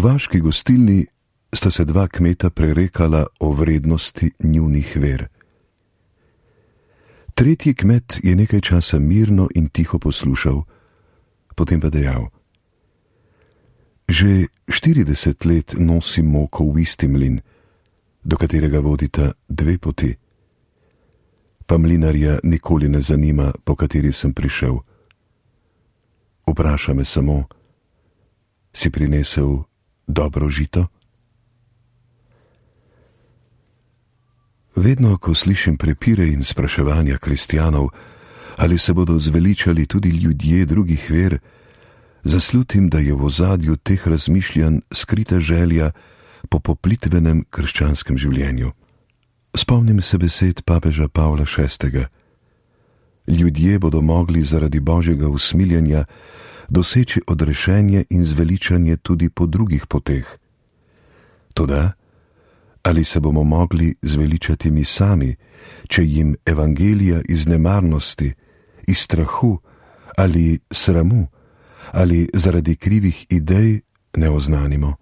vaški gostilni sta se dva kmeta prerekala o vrednosti njunih ver. Tretji kmet je nekaj časa mirno in tiho poslušal, potem pa dejal: Že 40 let nosim moko v isti mlin, do katerega vodita dve poti. Pa mlinarja nikoli ne zanima, po kateri sem prišel. Vpraša me samo: si prinesel dobro žito? Vedno, ko slišim prepire in spraševanja kristjanov, ali se bodo zveličali tudi ljudje drugih ver, zaslutim, da je v ozadju teh razmišljanj skrita želja po poplitvenem krščanskem življenju. Spomnim se besed papeža Pavla VI. Ljudje bodo mogli zaradi božjega usmiljenja doseči odrešenje in zveličanje tudi po drugih poteh. Toda, ali se bomo mogli zveličati mi sami, če jim evangelija iz nemarnosti, iz strahu ali sramu ali zaradi krivih idej ne oznanimo?